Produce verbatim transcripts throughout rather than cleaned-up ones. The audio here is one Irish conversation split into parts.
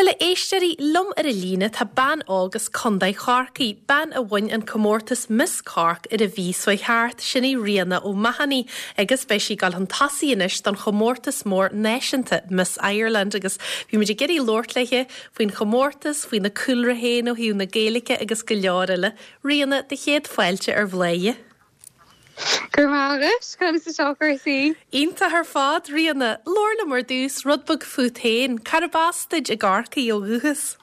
Bhuel, a éisteoirí, liom ar an líne tá bean óg as Contae Chorcaí, bean a bhain an comórtas Miss Cork ar an mhí seo thart, sin í Ríona O'Mahony, agus beidh sí ag dul chun tosaigh anois don chomórtas mór náisiúnta Miss Ireland agus bhí muid ag iarraidh labhairt léi faoin chomórtas, faoina cúlra féin ó thaobh na Gaeilge agus go leor eile. Ríona, do chéad fáilte ar Bhladhaire. Gur mágus chu sa seochuí. Iontach ar fad Ríona, labhair liom ar dtús rud beag fút féin, Cárb as duit i gCorcaigh ó dhúchas.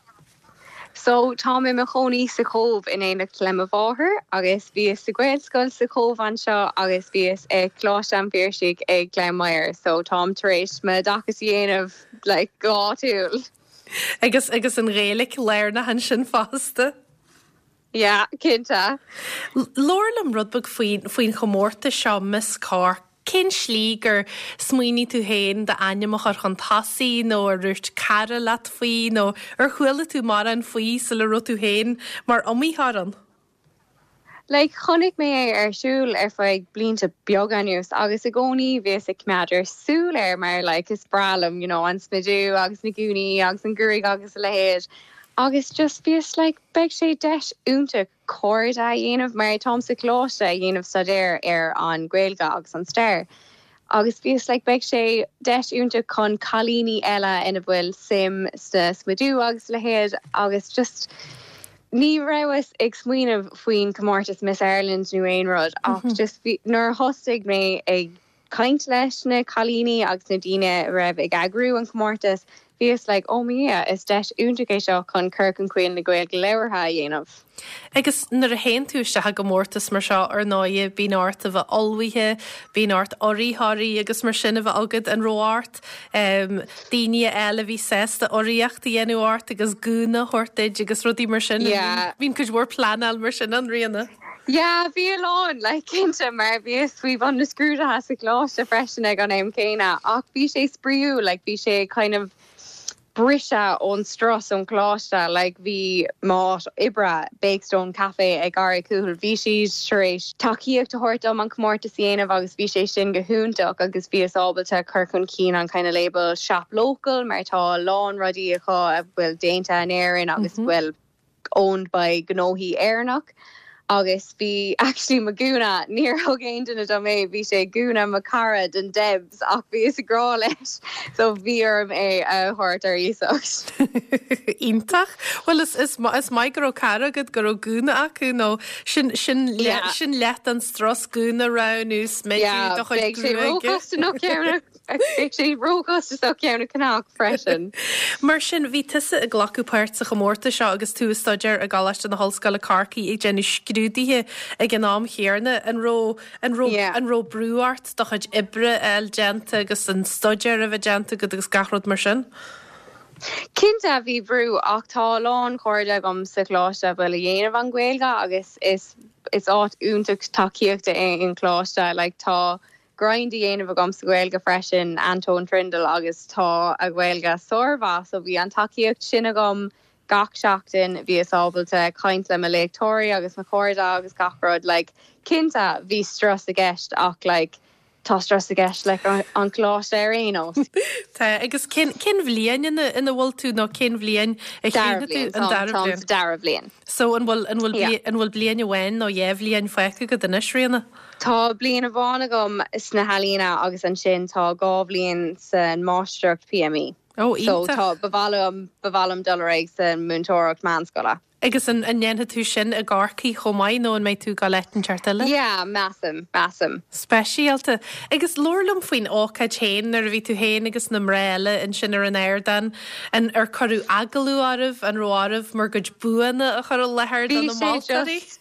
So tá mé i mo chónaí sa Chóbh in éineacht le mo mháthair agus bhíos sa Ghaelscoil sa Chóbh anseo agus bhíos ag Coláiste an Phiarsaigh ag Gleann Maghair, so táim tar éis m'oideachas a dhéanamh le gáúil. Agus agus an Ghaeilge lárnach ansin fosta. Yeah, cinnte. Labhair liom rud beag faoin faoin chomórtas seo Miss Cork. Cén slí gur smaoinigh tú féin d'ainm a chur chun tosaigh nó ar dhúirt cara leat faoi nó ar chuala tú mórán faoi sula raibh tú féin mar iomaitheoir ann? Like chonaic mé é ar siúl ar feadh blianta beaga anuas agus i gcónaí bhíos ag coimeád súil air mar like is breá liom you know, an smideadh agus na gúnaí agus an gruaig agus a leithéid. Agus just bhíos like beidh sé deis iontach cairde a dhéanamh mar táim sa choláiste ag déanamh staidéar ar an Ghaeilge agus an stair. Agus bhíos like beidh sé deis iontach chun cailíní eile ina bhfuil suim sa smideadh agus a leithéid agus just ní rabhas ag smaoineamh faoin comórtas Miss Ireland nó aon rud ach mm -hmm. just nuair a thosaigh mé ag caint leis na cailíní agus na daoine raibh ag eagrú an comórtas, bhíos like oh yeah, is deis iontach é seo chun cur chun cinn na Gaeilge labhartha a dhéanamh. Agus nuair a théann tú isteach i gcomórtas mar seo ar ndóigh bíonn ort a bheith ullmhaithe, bíonn ort urraitheoirí agus mar sin a bheith agat an raibh ort um, daoine eile bhí sásta urraíocht a dhéanamh ort agus gúna a thabhairt duit agus rudaí mar sin Yeah. Bíonn cuid mhór pleanáil mar sin ann Ríona. Ja, bhí a lán le cinnte mar bhíos faoi bhun na scrúduithe sa choláiste freisin ag an am céanna ach bhí sé spraíúil like bhí sé kind of briseadh ón strus ón choláiste like bhí m'áit oibre Bakestone Cafe ag Garraí Cúil bhí siad tar éis tacaíocht a thabhairt dom an comórtas a dhéanamh agus bhí sé sin go hiontach agus bhíos ábalta cur chun cinn an kind of label shop local mar tá lán rudaí acu a bhfuil déanta in Éirinn agus mm -hmm. bhfuil owned by gnóthaí Éireannach. agus bhí actually mo gúna níor thug aon duine dom é bhí sé gúna mo chara den Debs ach bhíos ag rá leis so bhí orm é a thabhairt ar iasacht. Iontach Well is is is maith go raibh cara agat go raibh gúna acu nó sin sin Yeah. sin leath an strus gúna roghnú smideadh do chuid Beidh sé gruaige. róchostasach Beidh sé róchostasach ceann ceannach freisin. Mar sin bhí tusa ag glacadh páirt sa chomórtas seo agus tú ag staidéar i gColáiste na hOllscoile Corcaigh ag déanamh scrúduithe ag an am chéanna an raibh an raibh Yeah. an raibh brú ort do chuid oibre a fháil déanta agus an staidéar a bheith déanta agat agus gach rud mar sin. Cinnte bhí brú ach tá lán cairde agam sa choláiste bhfuil ag déanamh an Ghaeilge agus is is áit iontach tacaíochta é an coláiste like tá grind a dhéanamh agam sa Ghaeilge freisin Anton Trindle agus tá a Ghaeilge sármhaith so bhí an tacaíocht sin agam gach seachtain bhíos ábalta caint le mo léachtóirí agus mo chairde agus gach rud like cinnte bhí strus i gceist ach like tá strus i gceist le an choláiste ar aon nós. Tá agus cén cén bhliain ina ina bhfuil tú nó cén bhliain a Dara chéanna tú an dara bliain bliain. dara bliain. So an bhfuil an bhfuil Yeah. bli- an bhfuil bliain amháin nó dhá bhliain fágtha agat anois Ríona? Tá bliain amháin agam sna healaíona agus ansin tá dhá bhliain san máistreacht PME. Ó So iontach. tá bham bham dul san múinteoireacht meánscoile. Agus an an ndéanfaidh tú sin i gCorcaigh chomh maith nó an mbeidh tú ag dul áit inteacht eile? Yeah, measaim, measaim. Speisialta. Agus labhair liom faoin ócáid féin nuair a bhí tú féin agus na mná eile ansin ar an ardán an ar cuireadh agallamh oraibh an raibh oraibh bhur gcuid buanna a chur i láthair Bhí do na sé moltóirí? just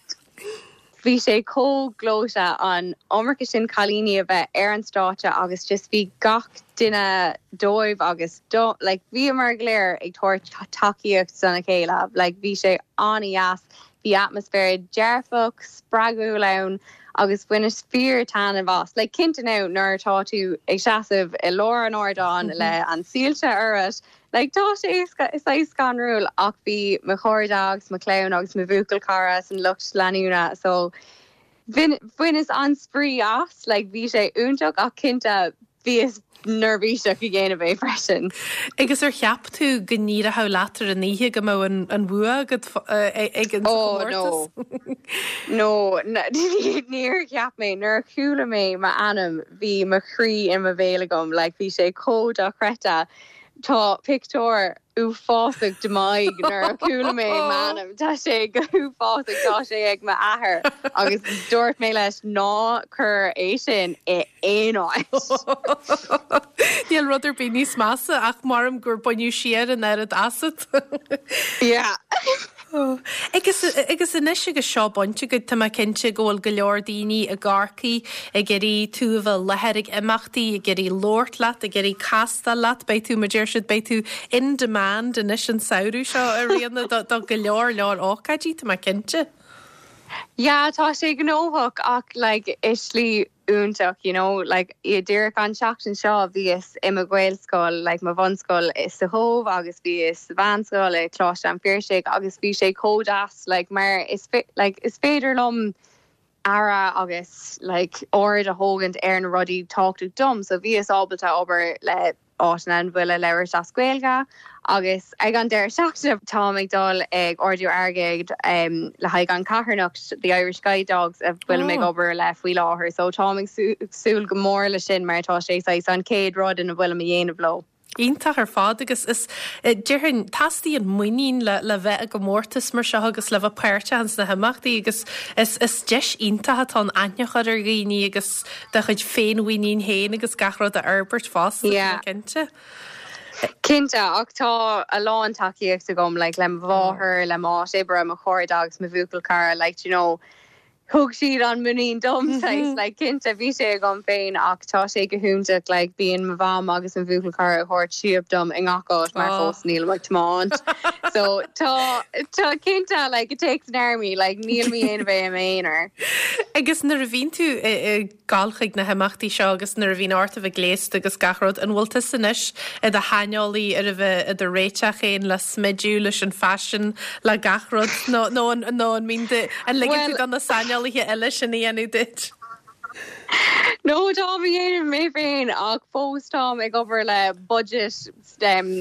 Bhí sé chomh gleoite an iomarca sin cailíní a bheith ar an stáitse agus just bhí gach duine dóibh agus do like bhíomar go léir ag tabhairt tacaíocht dona chéile like bhí sé an-deas bhí atmaisféar dearfach spreagúil ann agus bhaineas fíor taitneamh as like cinnte now nuair atá tú ag seasamh i lár an ardáin le an soilse ort like tá sé is é scanrúil ach bhí mo chairde agus mo chlann agus mo bhuachaill cara san lucht leanúna so bhain bhaineas an-spraoi as like bhí sé iontach ach cinnte Bhíos neirbhíseach ag déanamh é freisin. Agus ar cheap tú go n-éireodh leat ar an oíche go mbeadh an, an bua agat ag an oh, no. no níor cheap mé nuair a chuala mé m'ainm bhí mo chroí i mo bhéal agam like bhí sé chomh dochreidte Tá pictiúr uafásach de m'aghaidh nuair a chuala mé m'ainm Tá sé go huafásach tá sé ag m'athair agus dúirt mé leis ná cuir é sin i aon áit. Níl rud ar bith níos measa ach maram gur baineadh siar an oiread asat. Yeah. Agus agus anois agus seo bainte agat tá mé cinnte go bhfuil go leor daoine i gCorcaigh ag iarraidh tú a bheith i láthair ag imeachtaí, ag iarraidh labhairt leat, ag iarraidh castáil leat, beidh tú mar deir siad beidh tú in demand anois an samhradh seo a Ríona do, do go leor leor ócáidí tá mé cinnte. Yeah, tá sé gnóthach ach like i slí iontach you know like i díreach an seachtain seo bhíos i mo Ghaelscoil like mo bhunscoil i sa Chóbh agus bhíos sa mheánscoil i Coláiste an Phiarsaigh agus bhí sé chomh deas like mar is like is féidir liom aire agus like aird a thabhairt ar na rudaí tábhachtach dom so bhíos ábalta obair le áit an bhfuil a labhairt as Gaeilge agus ag an deireadh seachtaine táim ag dul ag ardú airgid um, le haghaidh an charthanacht the Irish Guide Dogs a bhfuil oh. ag obair le faoi láthair, so táim ag súil go mór le sin mar tá sé an chéad rud ina bhfuil a dhéanamh leo. Iontach ar fad agus is déarfainn teastaíonn muinín le le bheith i gcomórtas mar seo agus le bheith páirteach sna himeachtaí agus is is deis iontach atá ann aithne a chur ar dhaoine agus do chuid féinmhuinín féin agus gach rud a fhorbairt fosta cinnte. Cinnte ach tá a lán tacaíocht agam like, le máthair le má oibre mo chairde agus mo bhuachaill cara like, you know, thug siad an muinín dom mm -hmm. like cinnte bhí sé agam féin ach tá sé go hiontach like bíonn mo mham agus an bhuachaill cara thabhairt síob dom i ngach mar oh. fós níl ag tiomáint so tá tá cinnte like it takes an army like níl mé aon bheith aonar. Agus nuair a bhíonn tú ag gabháil chuig na himeachtaí seo agus nuair a bhíonn ort a bheith gléasta agus gach rud an bhfuil tú anois i do shaineolaí ar a bheith i do réiteach féin le smideadh leis an faisean le gach rud nó nó nó an mbíonn an ligeann tú do na saineolaithe eile sin a dhéanamh duit. No tá dhéanamh mé féin ach fós táim ag obair le budget um,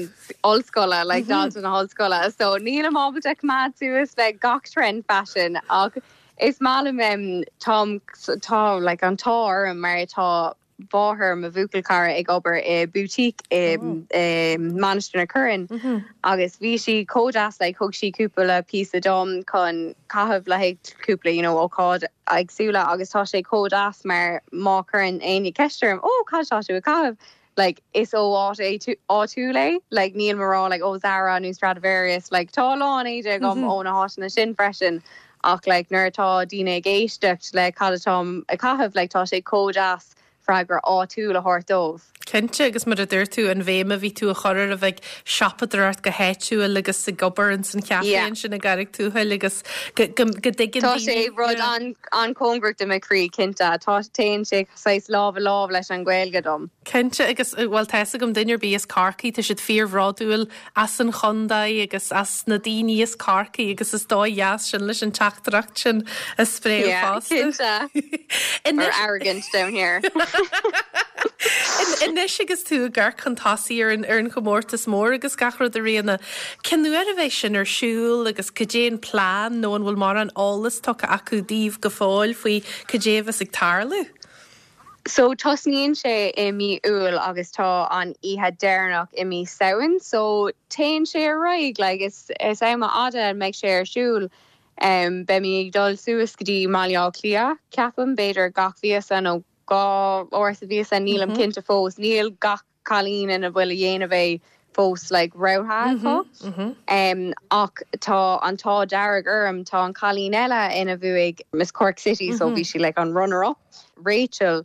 ollscoile like mm -hmm. na hollscoile so níl ábalta coimeád suas le gach trend fashion ach is maith um, tá tá like an t-ádh mar tá mháthair mo bhuachaill cara ag obair i boutique i oh. Mainistir na Corann mm -hmm. agus bhí sí chomh deas like, thug sí cúpla píosa dom chun caitheamh le cúpla you know, ócáid éagsúla agus tá sé chomh deas mar má chuireann éinne ceist orm ó cad tá tú ag caitheamh like is ó áit áitiúil é like níl mar like ó Zara nó Stradivarius like tá lán éide agam mm -hmm. ó na háiteanna sin freisin ach like nuair atá daoine ag éisteacht le cad atáim ag caitheamh like tá sé chomh deas freagra áitiúil a thabhairt dóibh. Cinnte agus mar a dúirt tú an bhéim a bhí tú a chur ar a bheith siopadóireacht go háitiúil agus ag obair in san chean sin i gCarraig Tuathail agus go dtuigeann Tá sé rud an an-chóngarach do mo chroí cinnte tá téann sé saghas lámh i lámh leis an Ghaeilge dom. Cinnte agus bhfuil fhios agam duine ar bith as Corcaigh tá siad fíorbhródúil as an chontae agus as na daoine as Corcaigh agus is dóigh dheas sin leis an teachtaireacht sin a spréadh fosta. arrogant down here. Anois agus tú ag amharc chun tosaigh ar an ar an chomórtas mór agus gach rud a Ríona. Cén uair a bheidh sin ar siúl agus cad é an plean nó an bhfuil mórán eolas tugtha acu daoibh go fóill faoi cad é a bheas ag tarlú. So tosnaíonn sé i mí Iúil agus tá an oíche deireanach i mí Samhain, so téann sé ar aghaidh like, is, is am fhada mbeidh sé ar siúl. Um, Beimid ag dul suas go dtí Baile Átha Cliath ceapaim b'fhéidir gach míosa nó dhá uair sa mhíosa nílim mm -hmm. cinnte fós níl gach cailín ina bhfuil a dhéanamh é fós like, rogha mm -hmm. mm -hmm. um, ach tá an t-ádh dearg orm tá an cailín eile ina bhuaigh Miss Cork City mm -hmm. so bhí sí like, an runner-up Rachel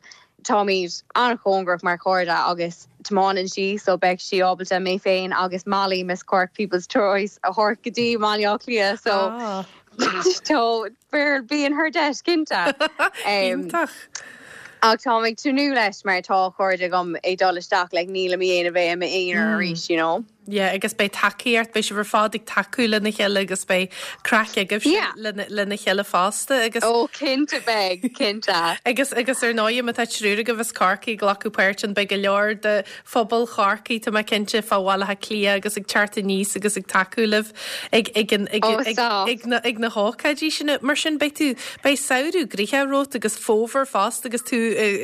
táimid an-chóngarach mar chairde agus tiomáineann sí so beidh sí ábalta mé féin agus Molly Miss Cork People's Choice a thabhairt go dtí Baile Átha Cliath so ah. Tá bíonn her deis cinnte. um, Ach tá ag tnúth leis mar tá cairde agam ag dul isteach le níl mé a bheith i m'aonar arís, you know. Yeah, agus beidh tacaíocht beidh sibh ar fad ag tacú lena chéile agus beidh craic agaibh Yeah. lena chéile fosta agus Ó cinnte beidh cinnte. Agus agus ar ndóigh má tá triúr agaibh as Corcaigh ag glacadh páirt ann beidh go leor de phobal Chorcaí tá mé cinnte fá Bhaile Átha Cliath agus ag teacht aníos agus ag tacú libh ag ag an- ag Ó, ag stop. ag na ag na hócáidí sin mar sin beidh tú beidh samhradh gnoitheach romhat agus fómhar fosta agus tú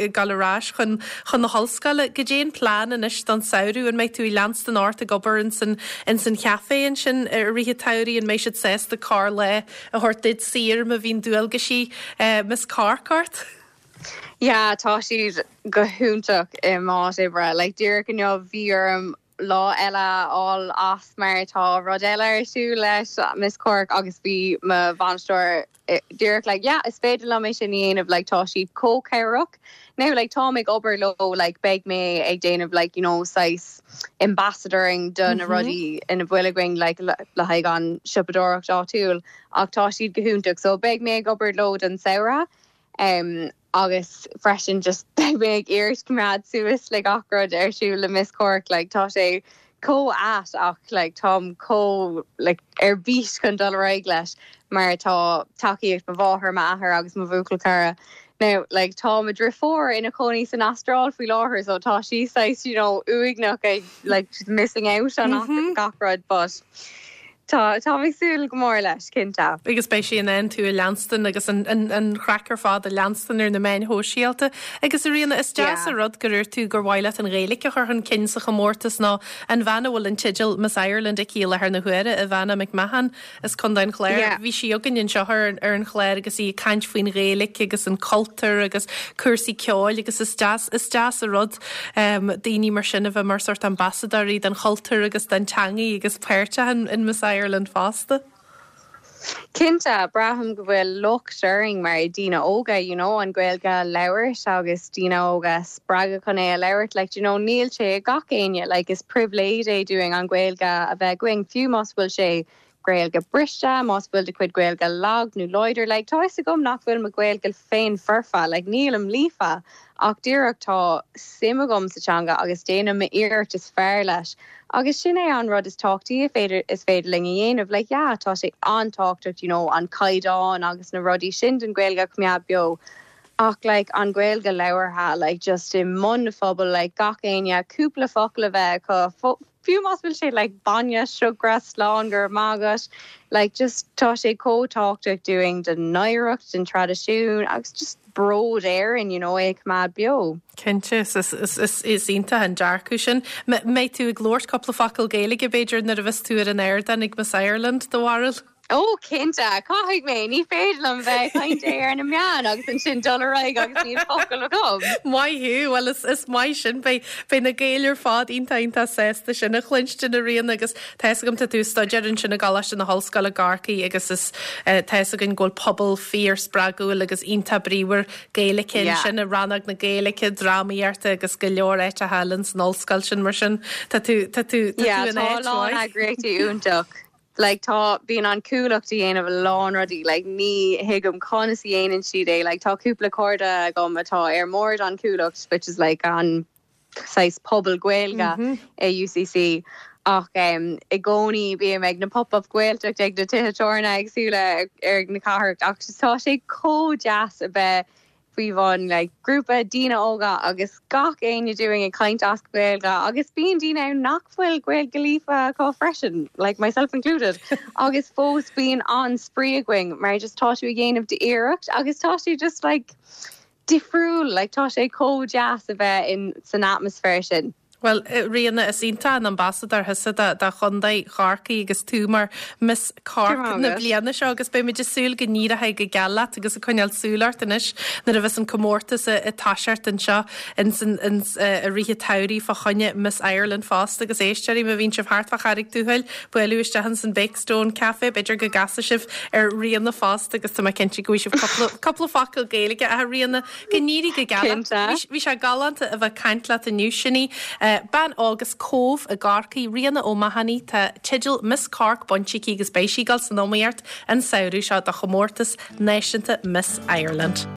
ag dul ar ais chun chun na hollscoile goidé an plean anois don samhradh an mbeidh tú ag leanstan ort ag obair in san in san chaifé ansin i rith an tsamhraidh an mbeidh siad sásta corrlá a thabhairt duit saor má bhíonn dualgaisí Miss Cork ort. Yeah, tá siad go hiontach i m'áit oibre, like díreach inniu bhí orm lá eile fháil as mar tá rud eile ar siúl leis Miss Cork agus bhí mo bhainisteoir eh, díreach like yeah, is féidir liom é sin a dhéanamh like tá siad chomh cabhrach. Now like tá ag obair leo like beidh mé ag déanamh like you know saghas ambassadoring do na rudaí ina bhfuil againn like le le haghaidh an siopadóireacht áitiúil ach tá siad go hiontach so beidh mé ag obair leo don samhradh. Um, agus freisin just beidh mé ag iarraidh coimeád suas le gach rud ar siúl le Miss Cork like tá sé chomh ait ach like táim chomh like ar bís chun dul ar aghaidh leis mar tá tacaíocht mo mháthair m'athair agus mo bhuachaill cara. Now like tá mo dheirfiúr ina cónaí san Astráil faoi láthair so tá sí saghas you know uaigneach ag like she's missing out on mm -hmm. gach rud but tá tá mé ag súil go mór leis cinnte. Agus beidh sí in ann tú a leanstan agus an, an, an chraic ar fad a leanstan ar na meáin shóisialta. Agus a Ríona is deas Yeah. a rud gur úirt tú gur mhaith leat an Ghaeilge a chur chun cinn sa chomórtas ná an bhean a bhfuil an teideal Miss Ireland aici láthair na huaire Ivana McMahon as Contae an Chláir. Yeah. Bhí sí againn anseo ar, ar an chlár agus í ag caint faoin Ghaeilge agus an cultúr agus cúrsaí ceoil agus is deas is deas a rud um, daoine mar sin a bheith mar sórt ambasadóirí den chultúr agus den teanga agus páirteach in, in Miss Ireland fosta. Cinnte braithim go bhfuil locht orainn mar daoine óga you know, an Ghaeilge a labhairt agus daoine óga spreagadh chun é a labhairt like, you know, níl sé gach éinne like, is pribhléid é dúinn an Ghaeilge a bheith againn fiú más bhfuil sé Gaeilge briste más bhfuil do chuid Gaeilge lag nó láidir like, tá a gom nach bhfuil mo Ghaeilge féin foirfe like, nílim líofa ach díreach tá suim agam sa teanga agus déanaim m'iarracht is fearr leis. Agus sin é an rud is tábhachtaí féidir is féidir linn a dhéanamh le yeah, tá sé an-tábhachtach you know, an caighdeán agus na rudaí sin den Ghaeilge coimeád beo. Ach like, an Ghaeilge labhartha like, just i mbun phobal like, gach éinne cúpla focal a bheith acu fiú más bhfuil sé like, bainne siúcra slán gur mágas like, just tá sé chomh tábhachtach dúinn den oidhreacht den traidisiún agus just bród Éireann you know, é coimeád beo. Cinnte is, is, is, is, is iontach an dearcadh sin. Mbeidh tú ag labhairt cúpla focal Gaeilge b'fhéidir nuair a bheas tú ar an ardán ag Miss Ireland do bharúil? Ó cinnte caithfidh mé ní féidir liom bheith caint ar na meáin agus ansin dul ar aghaidh agus níl focal agam. Maith thú well is, is maith sin beidh beidh na Gaeil ar fad iontach iontach sásta sin a chluinstin a Ríona agus tá agam tá tú ag staidéar ansin i gColáiste na hOllscoile Corcaigh agus is uh, tá againn go bhfuil pobal fíorspreagúil agus iontach bríomhar Gaeilge Yeah. sin i rannóg na Gaeilge drámaíochta agus go leor áiteacha eile san ollscoil sin mar sin tá tú tá tú tá Yeah, tú in tá áit lán mhaith. eagraíochtaí iontach. Like tá bíonn an Cuallacht ag déanamh a lán rudaí like ní thuigim conas a dhéanann siad é like tá cúpla cairde agam atá ar bhord an Cuallacht which is like an saghas pobal Gaeilge mm -hmm. i UCC ach um, i gcónaí bím ag na pop-up Gaeltacht ag na tithe tábhairne éagsúla ar na cathrach ach tá sé chomh deas a bheith faoi bhun like, grúpa daoine óga agus gach éinne dúinn ag caint as Gaeilge agus bíonn daoine nach bhfuil Gaeilge líofa acu freisin, like myself included. agus fós bíonn an spraoi againn mar just tá tú ag déanamh d'iarracht agus tá tú just like difriúil, like tá sé chomh deas a bheith in san atmaisféar sin. Well Ríona is iontach an ambasadóir thusa do Chontae Chorcaí agus tú mar Miss Cork na bliana seo agus beimid ag súil go n-éireoidh go geal leat agus ag coinneáil súil ort anois nuair a bheas an comórtas ag toiseacht anseo i rith an tsamhraidh fá choinne Miss Ireland fosta agus éisteoirí má bhíonn sibh thart fá Charraig Tuathail bualadh isteach san Bakestone Café b'fhéidir go gcasfaidh sibh ar Ríona fosta agus tá cinnte go bhfaighidh sibh cúpla focal Gaeilge a Ríona go n-éirí go geal. Bhí sé galánta a bheith ag caint leat inniu sin í. Bean óg as Cóbh i gCorcaigh Ríona O'Mahony tá teideal Miss Cork bainte aici agus beidh sí ag dul san iomaíocht an samhradh seo do chomórtas náisiúnta Miss Ireland.